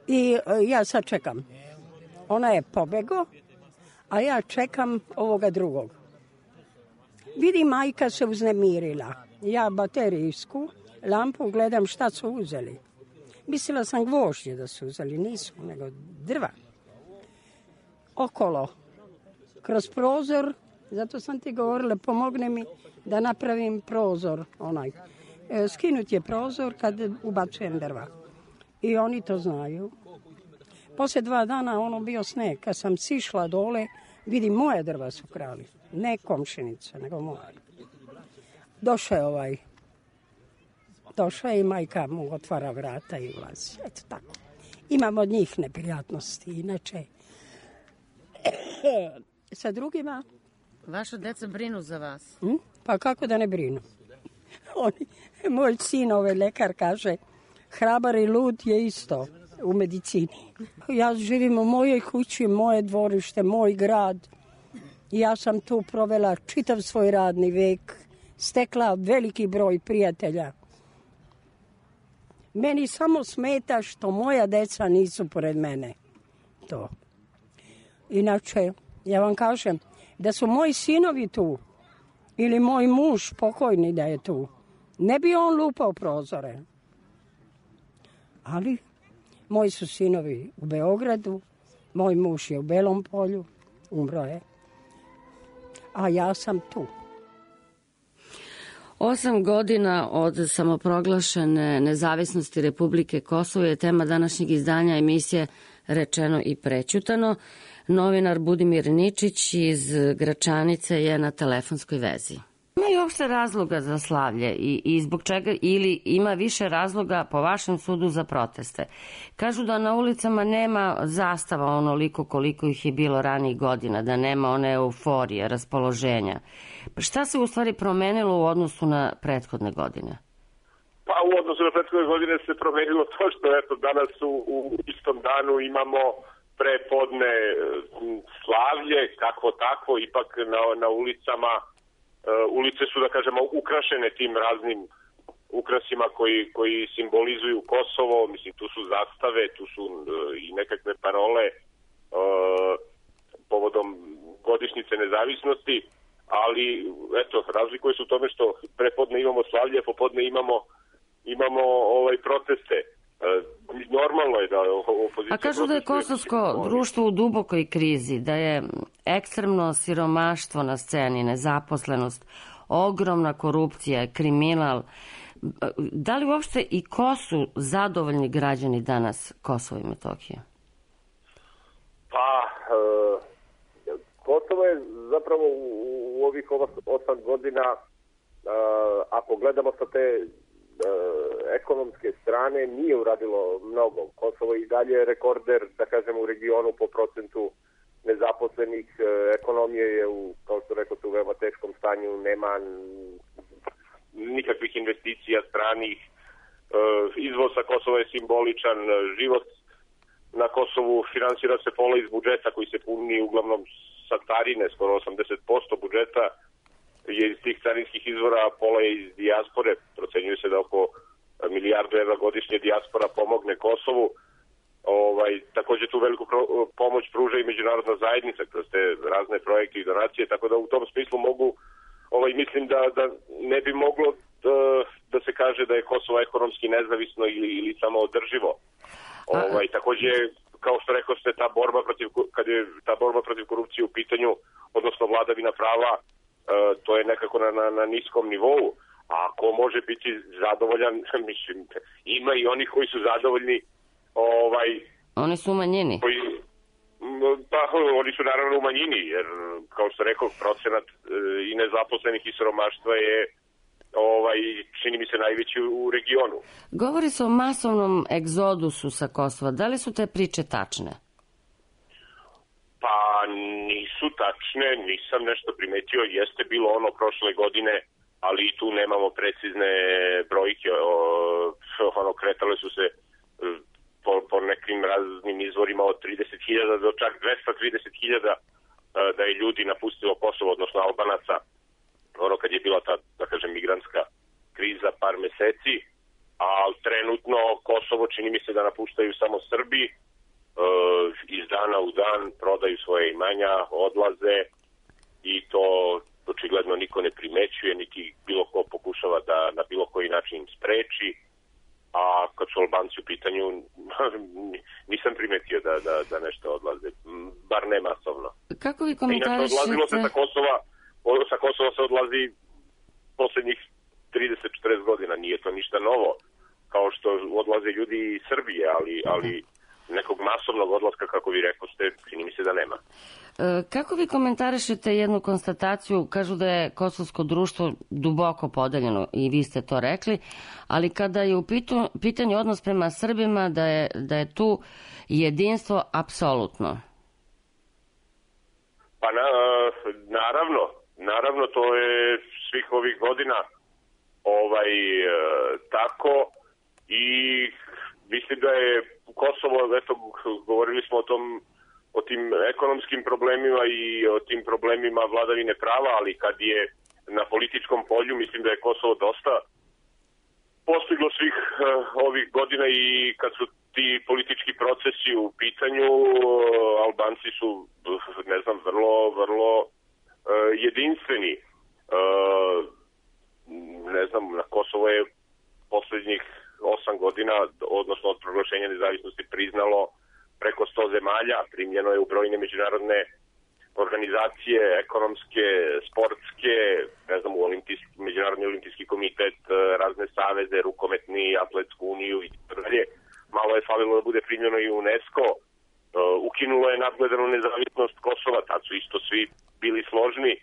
I ja sad čekam. Ona je pobego, a ja čekam ovoga drugog. Vidim, majka se uznemirila. Ja baterijsku lampu gledam šta su uzeli. Mislila sam gvožđe da su uzeli, nisu, nego drva. Okolo, kroz prozor, zato sam ti govorila, pomogne mi da napravim prozor, onaj. E, skinut je prozor kad ubacujem drva. I oni to znaju. Poslije dva dana ono bio sneg. Kad sam sišla dole, vidim moje drva su krali. Ne komšinice, nego moje. Došao je ovaj. Došao je i majka mu otvara vrata i ulazi. Eto tako. Imam od njih neprijatnosti. Inače, sa drugima... Vaša deca brinu za vas? Hm? Pa kako da ne brinu? Oni, moj sin, ovaj lekar, kaže, hrabar i lud je isto u medicini. Ja živim u mojoj kući, moje dvorište, moj grad. Ja sam tu provela čitav svoj radni vek, stekla veliki broj prijatelja. Meni samo smeta što moja deca nisu pored mene. To. Inače, ja vam kažem, da su moji sinovi tu, ili moj muž pokojni da je tu, ne bi on lupao prozore. Ali moji su sinovi u Beogradu, moj muž je u Belom Polju, umro je, a ja sam tu. Osam godina od samoproglašene nezavisnosti Republike Kosovo je tema današnjeg izdanja emisije Rečeno i prećutano. Novinar Budimir Ničić iz Gračanice je na telefonskoj vezi. Ima li uopšte razloga za slavlje i, i zbog čega, ili ima više razloga po vašem sudu za proteste? Kažu da na ulicama nema zastava onoliko koliko ih je bilo ranijih godina, da nema one euforije, raspoloženja. Pa šta se u stvari promenilo u odnosu na prethodne godine? Pa u odnosu na prethodne godine se promenilo to što eto, danas u, u istom danu imamo prepodne slavlje, kako tako, ipak na, na ulicama, uh, ulice su, da kažemo, ukrašene tim raznim ukrasima koji, koji simbolizuju Kosovo, mislim tu su zastave, tu su i nekakve parole uh, povodom godišnjice nezavisnosti, ali eto, razlikuje se u tome što prepodne imamo slavlje, popodne imamo imamo ovaj proteste. Uh, normalno je da opozicija... A kažu da je kosovsko društvo u dubokoj krizi, da je ekstremno siromaštvo na sceni, nezaposlenost, ogromna korupcija, kriminal. Da li uopšte i ko su zadovoljni građani danas Kosova i Metohije? Pa, uh, Kosovo je zapravo u, u ovih osam godina, uh, ako gledamo sa te uh, ekonomske strane, nije uradilo mnogo. Kosovo i dalje je rekorder, da kažemo, u regionu po procentu nezaposlenih. Uh, ekonomije je, u, kao što rekao, u veoma teškom stanju, nema nikakvih investicija stranih. Uh, izvoz sa Kosova je simboličan, život na Kosovu finansira se pola iz budžeta koji se puni uglavnom sa carine, skoro osamdeset posto budžeta je iz tih carinskih izvora, pola je iz dijaspore, procenjuje se da oko milijardu evra godišnje dijaspora pomogne Kosovu. Ovaj, takođe tu veliku pomoć pruža i međunarodna zajednica kroz te razne projekte i donacije, tako da u tom smislu mogu, ovaj, mislim da, da ne bi moglo da, da se kaže da je Kosovo ekonomski nezavisno ili, ili samo održivo. Ovaj, takođe, kao što rekao ste, ta borba protiv, kad je ta borba protiv korupcije u pitanju, odnosno vladavina prava, e, to je nekako na, na, na niskom nivou. A ko može biti zadovoljan, mislim, ima i onih koji su zadovoljni. Ovaj, oni su u manjini? Koji, pa, oni su naravno u manjini, jer, kao što rekao, procenat e, i nezaposlenih i siromaštva je ovaj, čini mi se najveći u regionu. Govori se o masovnom egzodusu sa Kosova. Da li su te priče tačne? Pa nisu tačne, nisam nešto primetio. Jeste bilo ono prošle godine, ali i tu nemamo precizne brojke. O, ono, kretale su se po, po nekim raznim izvorima od trideset hiljada do čak dvesta trideset hiljada da je ljudi napustilo Kosovo, odnosno Albanaca, ono kad je bila ta, da kažem, migrantska kriza par meseci, a trenutno Kosovo čini mi se da napuštaju samo Srbi, e, iz dana u dan prodaju svoje imanja, odlaze i to očigledno niko ne primećuje, niti bilo ko pokušava da na bilo koji način spreči, a kad su Albanci u pitanju nisam primetio da, da, da nešto odlaze, bar ne masovno. Kako vi komentarišete? Inače, odlazilo se sa Kosova sa Kosova se odlazi poslednjih trideset četrdeset godina, nije to ništa novo, kao što odlaze ljudi iz Srbije, ali, ali nekog masovnog odlaska, kako vi rekao ste, čini mi se da nema. Kako vi komentarišete jednu konstataciju, kažu da je kosovsko društvo duboko podeljeno i vi ste to rekli, ali kada je u pitanju odnos prema Srbima, da je, da je tu jedinstvo apsolutno? Pa na, naravno, naravno to je svih ovih godina ovaj e, tako i mislim da je Kosovo, eto, govorili smo o tom, o tim ekonomskim problemima i o tim problemima vladavine prava, ali kad je na političkom polju, mislim da je Kosovo dosta postiglo svih uh, ovih godina i kad su ti politički procesi u pitanju, uh, Albanci su, ne znam, vrlo, vrlo uh, jedinstveni. Uh, ne znam, na Kosovo je poslednjih osam godina, odnosno od proglašenja nezavisnosti, priznalo preko sto zemalja, primljeno je u brojne međunarodne organizacije, ekonomske, sportske, ne znam, u olimpijski, Međunarodni olimpijski komitet, razne saveze, rukometni, atletsku uniju i tako dalje. Malo je falilo da bude primljeno i UNESCO. Ukinulo je nadgledanu nezavisnost Kosova, tad su isto svi bili složni.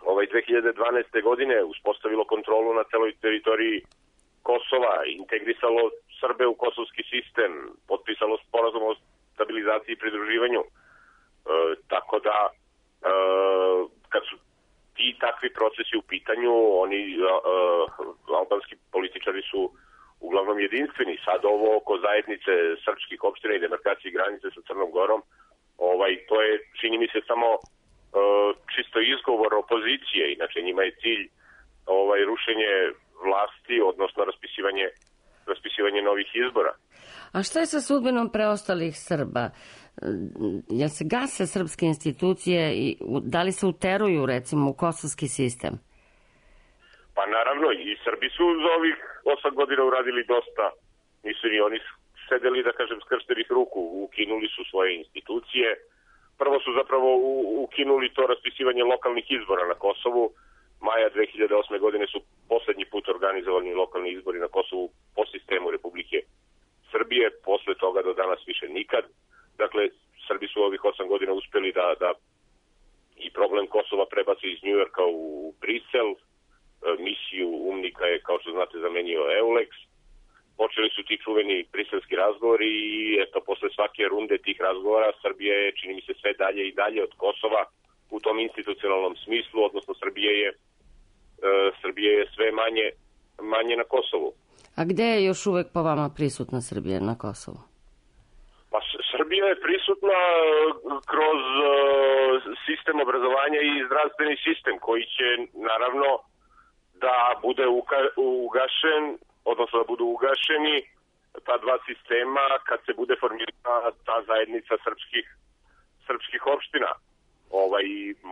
Ovaj dve hiljade dvanaeste. godine uspostavilo kontrolu na celoj teritoriji Kosova, integrisalo Srbe u kosovski sistem, potpisalo sporazum o stabilizaciji i pridruživanju. E, tako da, e, kad su ti takvi procesi u pitanju, oni, e, albanski političari su uglavnom jedinstveni. Sad ovo oko zajednice srpskih opština i demarkacije granice sa Crnom Gorom, ovaj, to je, čini mi se, samo e, čisto izgovor opozicije, inače njima je cilj ovaj, rušenje vlasti, odnosno raspisivanje, raspisivanje novih izbora. A šta je sa sudbinom preostalih Srba? Jel se gase srpske institucije i da li se uteruju recimo u kosovski sistem? Pa naravno, i Srbi su za ovih osam godina uradili dosta. Nisu ni oni sedeli, da kažem, skrštenih ruku. Ukinuli su svoje institucije. Prvo su zapravo ukinuli to raspisivanje lokalnih izbora na Kosovu. Maja dve hiljade osme. godine su poslednji put organizovani lokalni izbori na Kosovu po sistemu Republike Srbije. Posle toga do danas više nikad. Dakle, Srbi su ovih osam godina uspeli da, da i problem Kosova prebaci iz Njujorka u Brisel. Misiju umnika je, kao što znate, zamenio Euleks. Počeli su ti čuveni briselski razgovori i eto, posle svake runde tih razgovora Srbija je, čini mi se, sve dalje i dalje od Kosova u tom institucionalnom smislu, odnosno Srbija je, e, Srbija je sve manje, manje na Kosovu. A gde je još uvek po vama prisutna Srbija na Kosovu? Pa Srbija je prisutna kroz uh, sistem obrazovanja i zdravstveni sistem koji će naravno da bude uka- ugašen, odnosno da budu ugašeni ta dva sistema kad se bude formirana ta zajednica srpskih, srpskih opština. Ovaj,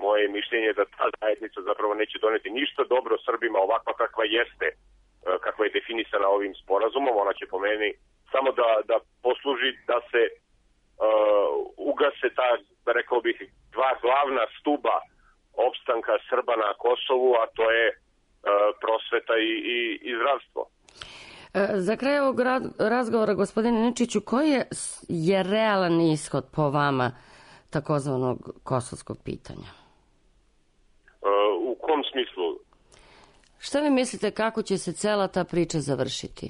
moje mišljenje je da ta zajednica zapravo neće doneti ništa dobro Srbima ovakva kakva jeste, kakva je definisana ovim sporazumom. Ona će po meni samo da, da posluži da se uh, ugase ta, da rekao bih, dva glavna stuba opstanka Srba na Kosovu, a to je uh, prosveta i, i, i zdravstvo. Za kraj ovog razgovora, gospodine Ničiću, koji je, je realan ishod po vama takozvanog kosovskog pitanja? Uh, u kom smislu? Šta vi mislite kako će se cela ta priča završiti?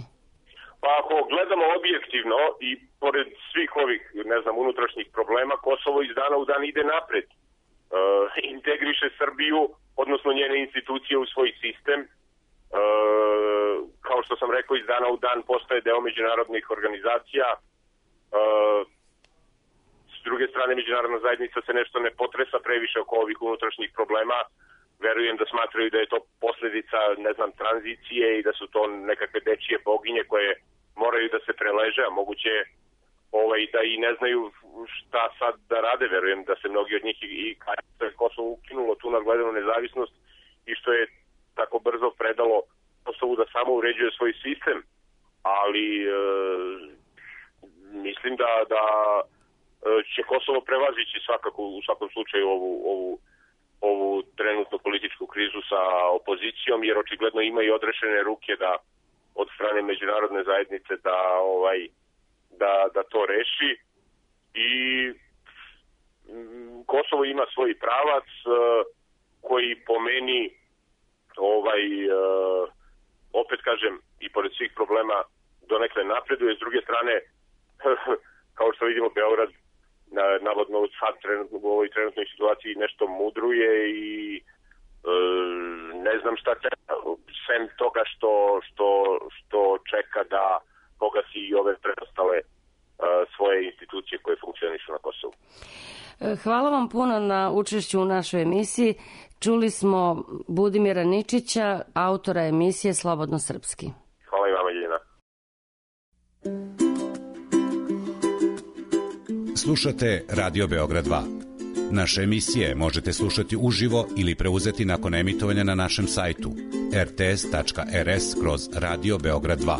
Pa ako gledamo objektivno i pored svih ovih, ne znam, unutrašnjih problema, Kosovo iz dana u dan ide napred. Uh, integriše Srbiju, odnosno njene institucije u svoj sistem. Uh, kao što sam rekao, iz dana u dan postaje deo međunarodnih organizacija. Uh, s druge strane, međunarodna zajednica se nešto ne potresa previše oko ovih unutrašnjih problema. Verujem da smatraju da je to posledica, ne znam, tranzicije i da su to nekakve dečije boginje koje moraju da se preleže, a moguće ovaj, da i ne znaju šta sad da rade. Verujem da se mnogi od njih i, i Kosovo ukinulo tu nadgledanu nezavisnost i što je tako brzo predalo Kosovu da samo uređuje svoj sistem, ali e, mislim da, da će Kosovo prevazići svakako u svakom slučaju ovu, ovu ovu trenutnu političku krizu sa opozicijom, jer očigledno ima i odrešene ruke da od strane međunarodne zajednice da ovaj da da to reši. I m, Kosovo ima svoj pravac uh, koji po meni ovaj uh, opet kažem i pored svih problema donekle napreduje. S druge strane kao što vidimo, Beograd Na, navodno sad trenutno, u ovoj trenutnoj situaciji nešto mudruje i e, ne znam šta čeka, sem toga što, što, što čeka da pogasi i ove preostale e, svoje institucije koje funkcionišu na Kosovu. Hvala vam puno na učešću u našoj emisiji. Čuli smo Budimira Ničića, autora emisije Slobodno srpski. Hvala i vama, Ljiljana. Slušate Radio Beograd dva. Naše emisije možete slušati uživo ili preuzeti nakon emitovanja na našem sajtu er te es tačka er es kroz Radio Beograd dva.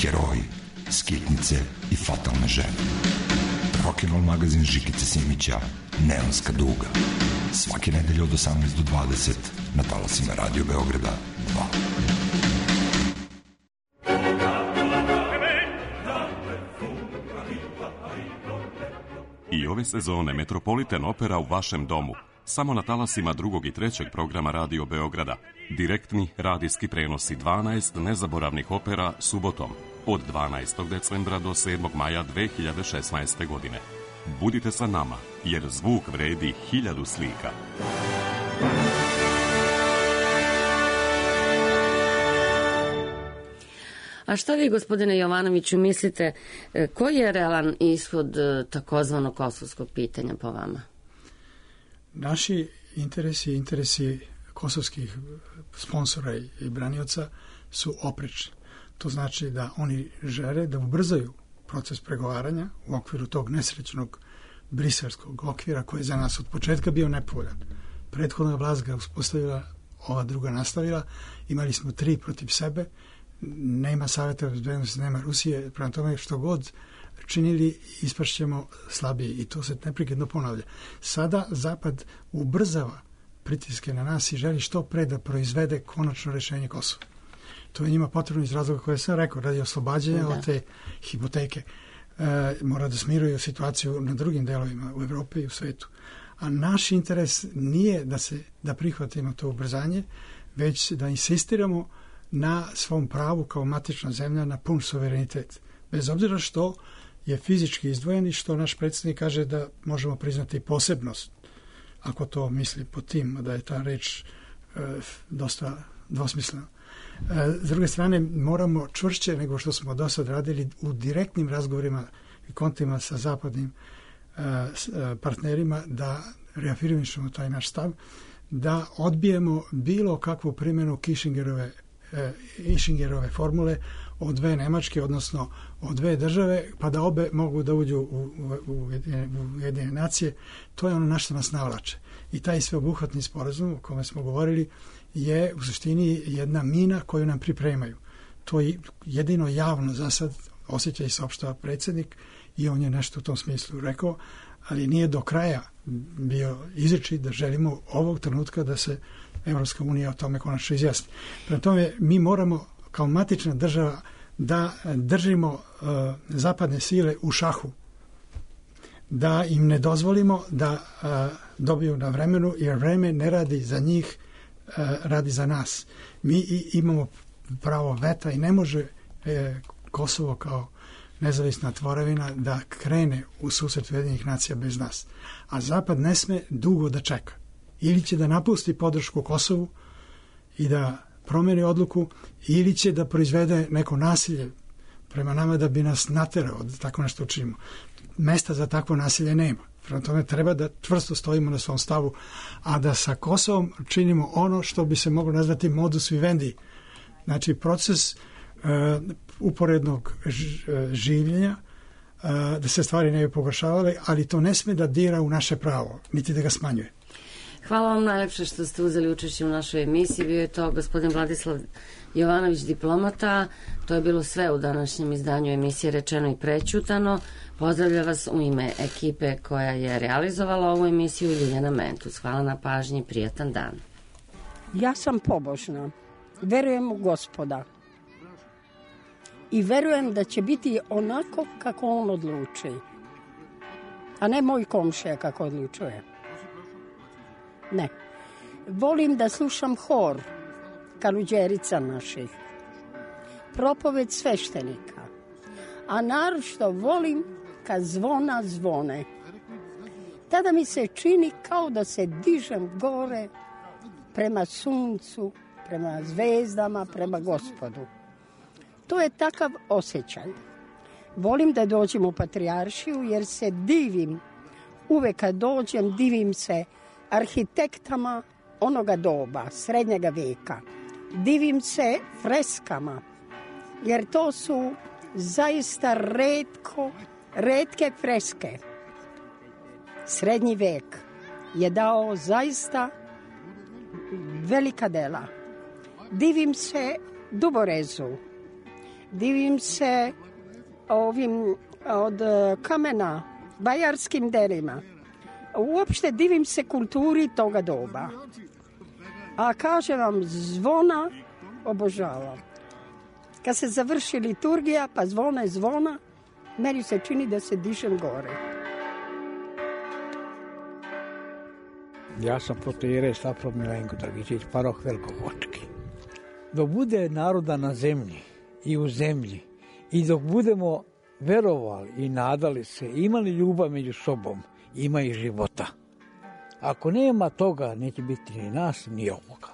Heroji, skitnice i fatalne žene. Rock'n'Roll magazin Žikice Simića, Neonska duga. Svake nedelje od osamnaest do dvadeset na talasima Radio Beograda dva. I ove sezone Metropolitan Opera u vašem domu. Samo na talasima drugog i trećeg programa Radio Beograda. Direktni radijski prenosi dvanaest nezaboravnih opera subotom od dvanaestog decembra do sedmog maja dve hiljade šesnaeste. godine. Budite sa nama, jer zvuk vredi hiljadu slika. A šta vi, gospodine Jovanoviću, mislite, koji je realan ishod takozvanog kosovskog pitanja po vama? Naši interesi, interesi kosovskih sponsora i branioca su oprečni. To znači da oni žele da ubrzaju proces pregovaranja u okviru tog nesrećnog briselskog okvira koji je za nas od početka bio nepovoljan. Prethodna vlast ga uspostavila, ova druga nastavila, imali smo tri protiv sebe, nema Saveta bezbednosti, nema Rusije, prema tome što god činili ispašćemo slabiji i to se neprekidno ponavlja. Sada Zapad ubrzava pritiske na nas i želi što pre da proizvede konačno rešenje Kosova. To je njima potrebno iz razloga koje sam rekao, radi oslobađanja od te hipoteke. E, mora da smiruju situaciju na drugim delovima u Evropi i u svetu. A naš interes nije da se da prihvatimo to ubrzanje, već da insistiramo na svom pravu kao matična zemlja na pun suverenitet. Bez obzira što je fizički izdvojen i što naš predsjednik kaže da možemo priznati posebnost, ako to misli po tim, da je ta reč e, dosta dvosmislena. E, s druge strane, moramo čvršće nego što smo do sad radili u direktnim razgovorima i kontaktima sa zapadnim e, partnerima da reafirmišemo taj naš stav, da odbijemo bilo kakvu primjenu Kishingerove, e, Kishingerove formule od dve Nemačke, odnosno od dve države, pa da obe mogu da uđu u, u, u Ujedinjene nacije. To je ono na što nas navlače. I taj sveobuhvatni sporazum o kome smo govorili je u suštini jedna mina koju nam pripremaju. To je jedino javno za sad osjeća i saopštava predsjednik i on je nešto u tom smislu rekao, ali nije do kraja bio izričit da želimo ovog trenutka da se Evropska unija o tome konačno izjasni. Prema tome, mi moramo kao matična država da držimo uh, zapadne sile u šahu, da im ne dozvolimo da uh, dobiju na vremenu, jer vreme ne radi za njih, uh, radi za nas. Mi i, imamo pravo veta i ne može e, Kosovo kao nezavisna tvorevina da krene u susret Ujedinjenih nacija bez nas. A Zapad ne sme dugo da čeka. Ili će da napusti podršku Kosovu i da promeni odluku, ili će da proizvede neko nasilje prema nama da bi nas naterao da tako nešto učinimo. Mesta za takvo nasilje nema. Prema tome treba da čvrsto stojimo na svom stavu, a da sa Kosovom činimo ono što bi se moglo nazvati modus vivendi. Znači proces uh, uporednog življenja, uh, da se stvari ne bi pogoršavale, ali to ne sme da dira u naše pravo, niti da ga smanjuje. Hvala vam najlepše što ste uzeli učešće u našoj emisiji. Bio je to gospodin Vladislav Jovanović, diplomata. To je bilo sve u današnjem izdanju emisije Rečeno i prećutano. Pozdravlja vas u ime ekipe koja je realizovala ovu emisiju, Ljiljana Mentus. Hvala na pažnji, prijatan dan. Ja sam pobožna. Verujem u Gospoda. I verujem da će biti onako kako on odluči. A ne moj komšija kako odlučuje. Ne. Volim da slušam hor kaluđerica naših, propoved sveštenika, a naročito volim kad zvona zvone. Tada mi se čini kao da se dižem gore prema suncu, prema zvezdama, prema Gospodu. To je takav osjećaj. Volim da dođem u Patrijaršiju jer se divim, uvek kad dođem divim se arhitektama onoga doba, srednjega veka. Divim se freskama, jer to su zaista retko, retke freske. Srednji vek je dao zaista velika dela. Divim se duborezu, divim se ovim od kamena, bajarskim delima. Uopšte divim se kulturi toga doba. A kažem vam, zvona obožavam. Kad se završi liturgija, pa zvona je zvona, meni se čini da se dižem gore. Ja sam protoijerej Stafro Milenko Dragičić, paroh Velikogočki. Dok bude naroda na zemlji i u zemlji i dok budemo verovali i nadali se, imali ljubav među sobom, ima i života. Ako nema toga, neće biti ni nas, ni ovoga.